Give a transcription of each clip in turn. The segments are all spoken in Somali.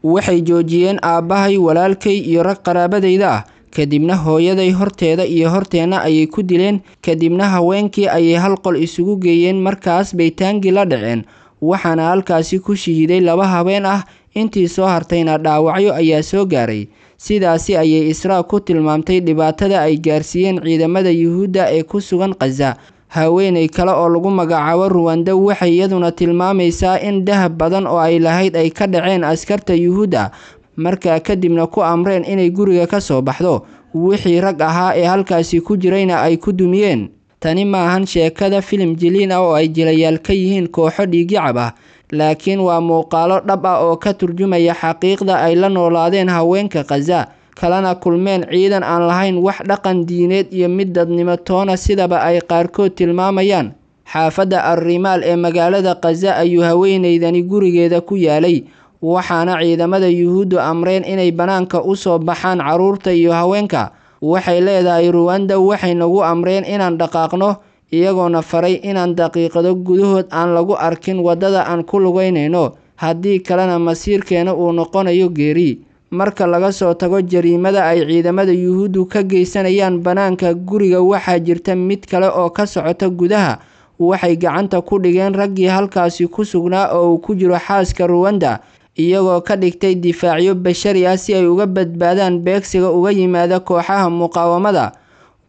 Waxay joojiyeen aabbahay, walaalkay iyo rag qaraabadayda ah, kadibna hooyaday horteeda iyo horteenna ayay ku dileen. Kadibna haweenkii ayay hal qol isugu geeyeen, markaas bay taangi la dhaceen, waxaana halkaasi ku shahiiday 2 haween ah, intii soo hartayna dhaawacyo ayaa soo gaaray. Sidaasi ayay Israa ku tilmaamtay dhibaatada ay gaarsiiyeen ciidamada Yuhuudda ee ku sugan Khaza. Haweeney kale oo lagu magacaabo Ruwanda waxay iyaduna tilmaamaysaa in dahab badan oo ay lahayd ay ka dhaceen askarta Yuhuudda, markaa kadibna ku amreen inay guriga ka soo baxdo, wixii rag ahaa ee halkaasi ku jirayna ay ku dumiyeen. Tani maahan sheekada filim jiliin ah oo ay jilayaal ka yihiin kooxo dhiigyacab ah, laakiin waa muuqaalo dhab ah oo ka turjumaya xaqiiqda ay la noolaadeen haweenka Khaza, kalena kulmeen ciidan aan lahayn wax dhaqan diineed iyo mid dadnimo toona, sidaba ay qaarkood tilmaamayaan. Xaafadda Ar-Rimaal ee magaalada Khaza ayuu haweeneydani gurigeeda ku yaalay, waxaana ciidamada Yuhuuddu amreen inay banaanka u soo baxaan carruurta iyo haweenka. Waxay leedahay Ruwanda, waxay nagu amreen inaan dhaqaaqno, iyagoona faray inaan daqiiqado gudahood aan lagu arkin waddada aan ku lugeynayno, haddii kalena masiirkeena uu noqonayo geeri. Marka laga soo tago jariimada ay ciidamada Yuhuuddu ka geysanayaan banaanka guriga, waxaa jirta mid kale oo ka socota gudaha. Waxay gacanta ku dhigeen raggii halkaasi ku sugnaa oo uu ku jiro xaaska Ruwanda, iyagoo ka dhigtay difaacyo bashari ah si ay uga badbaadaan beegsiga uga yimaada kooxaha muqaawamada.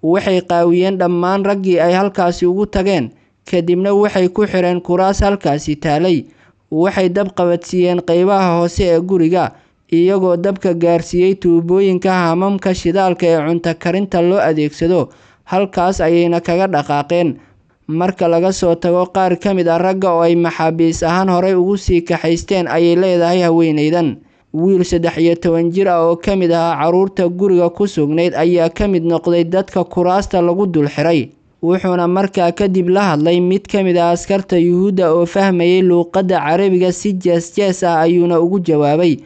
Waxay qaawiyeen dhammaan raggii ay halkaasi ugu tageen, kadibna waxay ku xireen kuraas halkaasi taalay. Waxay dab qabadsiiyeen qaybaha hoose ee guriga, iyagoo dabka gaarsiiyey tuubooyinka haamamka shidaalka ee cunto karinta loo adeegsado, halkaas ayayna kaga dhaqaaqeen. Marka laga soo tago qaar ka mid ah ragga oo ay maxaabiis ahaan horey ugu sii kaxaysteen, ayay leedahay haweeneydan. Wiil 13 jir ah oo ka mid ahaa carruurta guriga ku sugnayd ayaa ka mid noqday dadka kuraasta lagu dul xiray, wuxuuna markaa kadib la hadlay mid ka mid ah askarta Yuhuudda oo fahmayay luuqadda Carabiga. Si jees jees ah ayuuna ugu jawaabay,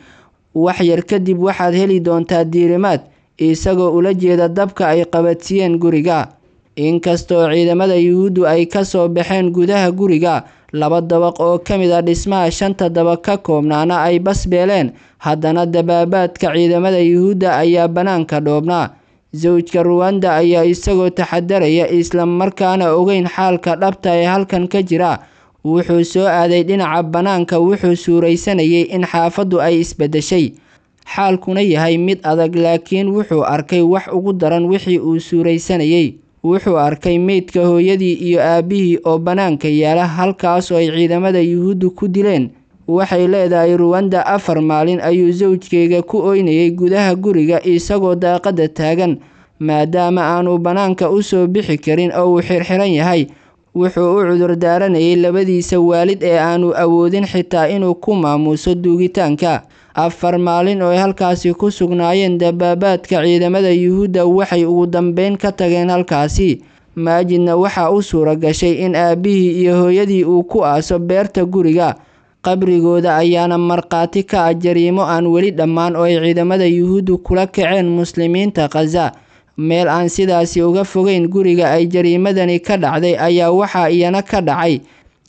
wax yar kadib waxaad heli doontaa diirimaad, isagoo ula jeeda dabka ay qabadsiiyeen guriga. Inkastoo ciidamada Yuhuuddu ay ka soo baxeen gudaha guriga, 2 dabaq oo ka mid ah dhismaha 5 dabaq ka koobnaana ay basbeeleen, haddana dabaabaadka ciidamada Yuhuudda ayaa banaanka dhoobnaa. Zawjka Ruwanda ayaa isagoo taxadaraya isla markaana ogeyn xaalka dhabta ee halkan ka jira, wuxuu soo aaday dhinaca banaanka. Wuxuu suuraysanayay in xaafaddu ay isbedeshay, xaalkuna yahay mid adag, laakiin wuxuu arkay wax ugu daran wixii uu suuraysanayay. Wuxuu arkay meydka hooyadii iyo aabbihii oo banaanka yaala, halkaas oo ay ciidamada Yuhuuddu ku dileen. Waxay leedahay Ruwanda, 4 maalin ayuu zawjkayga ku ooynayay gudaha guriga isagoo daaqadda taagan, maadaama aanu banaanka u soo bixi karin oo uu xirxiran yahay. Wuxuu u cudur daaranayay labadiisa waalid ee aanu awoodin xitaa inuu ku maamuuso duugitaanka. 4 maalin oo ay halkaasi ku sugnaayeen dabaabaadka ciidamada Yuhuudda, waxay ugu dambeyn ka tageen halkaasi. Maajidna waxaa u suura gashay in aabbihii iyo hooyadii uu ku aaso beerta guriga. Qabrigooda ayaana markhaati ka ah jariimo aan weli dhammaan oo ay ciidamada Yuhuuddu kula kaceen muslimiinta Khaza. Meel aan sidaasi uga fogeyn guriga ay jariimadani ka dhacday ayaa waxaa iyana ka dhacay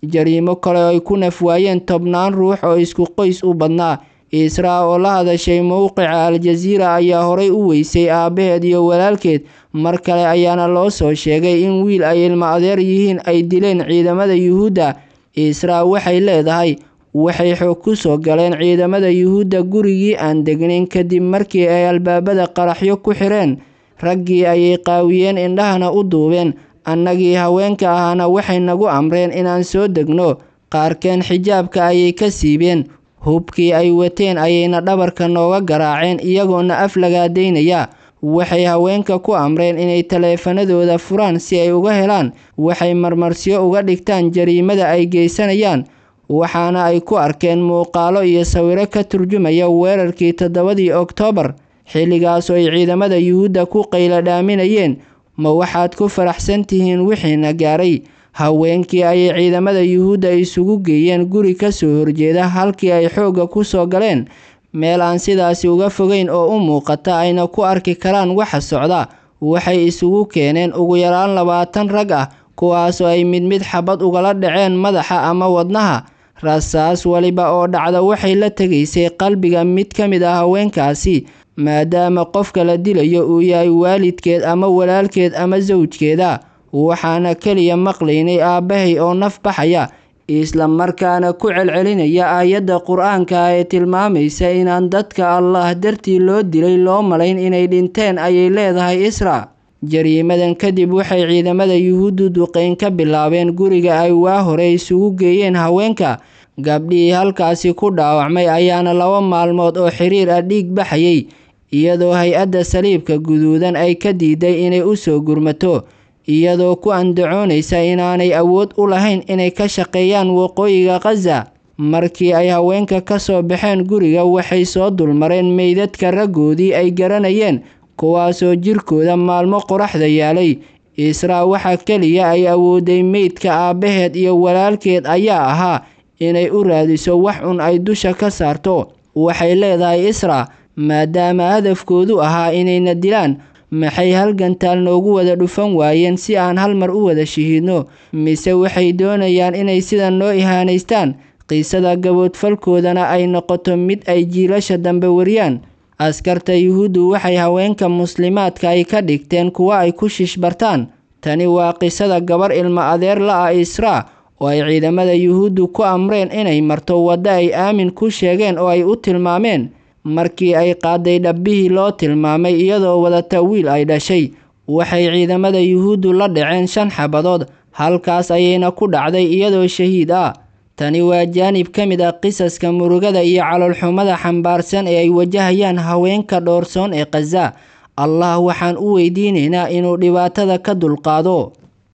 jariimo kale oo ay ku nafwaayeen 10 ruux oo isku qoys u badnaa. Israa oo la hadashay mowqica Al Jazeera ayaa horay u weysay aabbaheed iyo walaalkeed. Mar kale ayaana loo soo sheegay in wiil ay ilmo adeer yihiin ay dileen ciidamada Yuhuudda. Israa waxay leedahay, waxay xoog ku soo galeen ciidamada Yuhuudda gurigii aan degnayn kadib markii ay albaabada qaraxyo ku xireen. Raggii ayay qaawiyeen, indhahana u duubeen. Annagii haweenka ahaana waxay nagu amreen inaan soo degno. Qaarkeen xijaabka ayay ka siibeen, hubkii ay wateen ayayna dhabarka nooga garaaceen iyagoona af lagaadaynaya. Waxay haweenka ku amreen inay taleefanadooda furaan si ay uga helaan waxay marmarsiyo uga dhigtaan jariimada ay geysanayaan. Waxaana ay ku arkeen muuqaalo iyo sawiro ka turjumaya weerarkii 7dii Oktoobar, xilligaas oo ay ciidamada Yuhuudda ku qaylo dhaaminayeen, ma waxaad ku faraxsan tihiin wixiina gaaray? Haweenkii ayay ciidamada Yuhuudda isugu geeyeen guri ka soo horjeeda halkii ay xoogga ku soo galeen, meel aan sidaasi uga fogeyn oo u muuqata ayna ku arki karaan waxa socda. Waxay isugu keeneen ugu yaraan 20 rag ah, kuwaas oo ay mid mid xabad ugala dhaceen madaxa ama wadnaha. Rasaas waliba oo dhacda waxay la tegaysay qalbiga mid ka mid ah haweenkaasi, maadaama qofka la dilayo uu yahay waalidkeed ama walaalkeed ama sawjkeeda. Waxaana keliya maqlaynay aabbahay oo naf baxaya, isla markaana ku celcelinaya aayadda Qur-aanka ee tilmaamaysa inaan dadka Allah dartii loo dilay loo malayn inay dhinteen, ayay leedahay Isra. Jariimadan kadib waxay ciidamada Yuhuuddu duqeyn ka bilaabeen guriga ay waa hore isugu geeyeen haweenka. Gabdhihii halkaasi ku dhaawacmay ayaana 2 maalmood oo xiriir ah dhiig baxayay, iyadoo hay-adda Saliibka Guduudan ay ka diiday inay u soo gurmato, iyadoo ku andacoonaysa inaanay awood u lahayn inay ka shaqeeyaan waqooyiga Khaza. Markii ay haweenka ka soo baxeen guriga, waxay soo dulmareen meydadka raggoodii ay garanayeen, kuwaasoo jirkooda maalmo qoraxda yaalay. Israa waxa keliya ay awooday meydka aabbaheed iyo walaalkeed ayaa ahaa inay u raadiso wax un ay dusha ka saarto. Waxay leedahay Isra, maadaama hadafkoodu ahaa inayna dilaan, maxay halgantaal noogu wada dhufan waayeen si aan hal mar u wada shahiidno? Mise waxay doonayaan inay sidan noo ihaanaystaan, qisada gaboodfalkoodana ay noqoto mid ay jiilasha dambe wariyaan? Askarta Yuhuuddu waxay haweenka muslimaadka ay ka dhigteen kuwa ay ku shishbartaan. Tani waa qisada gabar ilma adeer la ah Isra oo ay ciidamada Yuhuuddu ku amreen inay marto waddo ay aamin ku sheegeen oo ay u tilmaameen. Markii ay qaaday dhabbihii loo tilmaamay iyadoo wadata wiil ay dhashay, waxay ciidamada Yuhuuddu la dhaceen 5 xabadood, halkaas ayayna ku dhacday iyadoo shahiid ah. Tani waa jaanib ka mid ah qisaska murugada iyo caloolxumada xambaarsan ee ay wajahayaan haweenka dhoorsoon ee Khaza. Allah waxaan u weydiinaynaa inuu dhibaatada ka dulqaado.